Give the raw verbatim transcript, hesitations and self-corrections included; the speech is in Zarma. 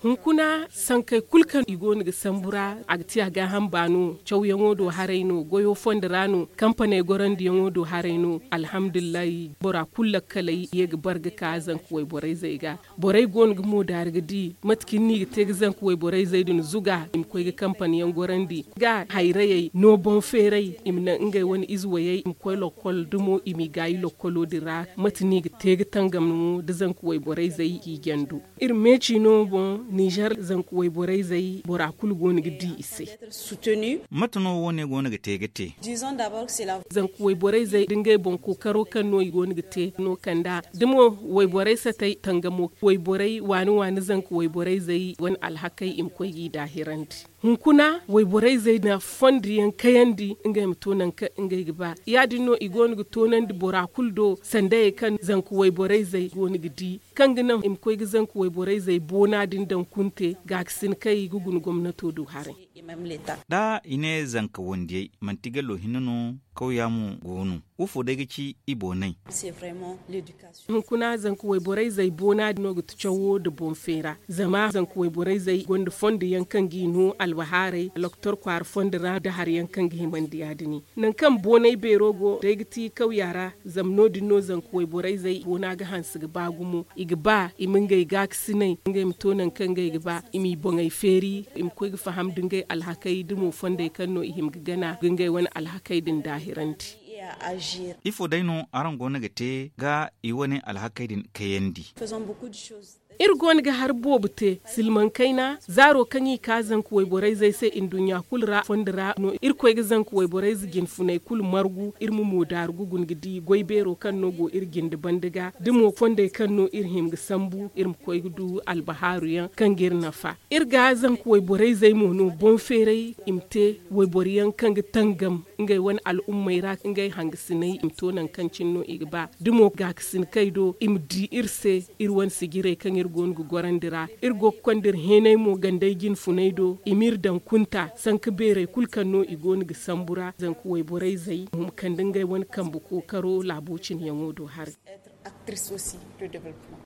Hunkuna sankey kulu kaŋ i go no ga sambu ra, a ga ti a gaaham ba no. Cawyaŋo do haray no, goyo fondo ra no, kampaney gorandiyaŋo do haray no. Alhamdulillahi, bora kulu lakkaley ye ga bar ga ka zanka wayborayzey ga. Borey go no ga moodaari ga di mate kaŋ ni ga te ga zanka wayborayzey din zuga i ma koy ga kampaniyaŋ gorandi ga hayrayey no boŋ feeray i ma naŋ ngey wane ize wayey i ma koy lokkol dumo i m'i gaayi lokkolo din ra. Mate no i ga te ga tangam mo da zanka wayborayzey k'i jandu. Iri meeci no boŋ nizer zanka wayborayzey bora kulu go no ga di i se. Mate no wo- ne go no ga te ga te? Zanka wayborayzey da ngey boŋ kookaro kaŋ no i go no ga te no kanda da mo wayborey satey tangamo wayborey waani waani zanka wayborayzey wane alhakey i ma koy g'i daahirandi. Hunkuna wayborayzey na fondo yaŋ kayandi ngey ma to nangu kaŋ ngey ga ba. Ya- din no i go no ga toonandi bora kulu do sandayey kaŋ zanka wayborayzey go no ga di kaŋ ga naŋ i ma koy ga zanka wayborayzey boona din daŋ kunte gaakasin kaŋ i ga guna gomnato do haray. Da i ne zanka wandiyey manti gallo hinne no kawya mo go no? Wo fo day ga ci i boonay? Hunkuna zanka wayborayzey boona din no ga ti cawo nda boŋ feera zama zanka wayborayzey gonda fondo yaŋ kaŋ g'i no albahaaray loktor kwaara fondo ra nda hari yaŋ kaŋ ga himandi ya- din. Nangu kaŋ boonay beero go day ga ti kawya ra zama no- din no zanka wayborayzey boona ga hanse ga ba gumo i ga ba i ma ngey gaakasinay ngey ma to nangu kaŋ ngey ga ba i m'i boŋey feeri i ma koy ga faham nda ngey alhakey da mo fondey kaŋ no i hima ga gana ga ngey wane alhakey din daahirandi. Ifo day no araŋ go no ga te ga i wane alhakey din kayandi? Iri go no ga hari boobo te silmaŋ kayna zaaro kaŋ i ka zanka wayborayzey se nduɲɲa kulu ra fondo ra no iri koy ga zanka wayborayze jinfuney kulu margu iri ma moodaaru ga guna ga di goy beero kaŋ no go iri jinde banda ga da mo fondey kaŋ no iri hima ga sambu iri ma koy ga du albahaaru yaŋ kaŋ ga iri nafa. Iri ga zanka wayborayzey mo no boŋ feeray i ma te wayboro yaŋ kaŋ ga tangam ngey wane al'ummey ra ngey hangasinay i ma to nangu kaŋ cine no i ga ba da mo gaakasin kay do i ma di iri se iri wane sijirey kaŋ iri go no ga gorandi ra. Iri go ga konda iri heenay mo gandey jinfunay do i m'iri daŋ kunta sanka beerey kulu kaŋ no i go no ga sambu ra zanka wayborayzey ma kande ngey wane kambe kookaro laabo cine yaŋo do haray.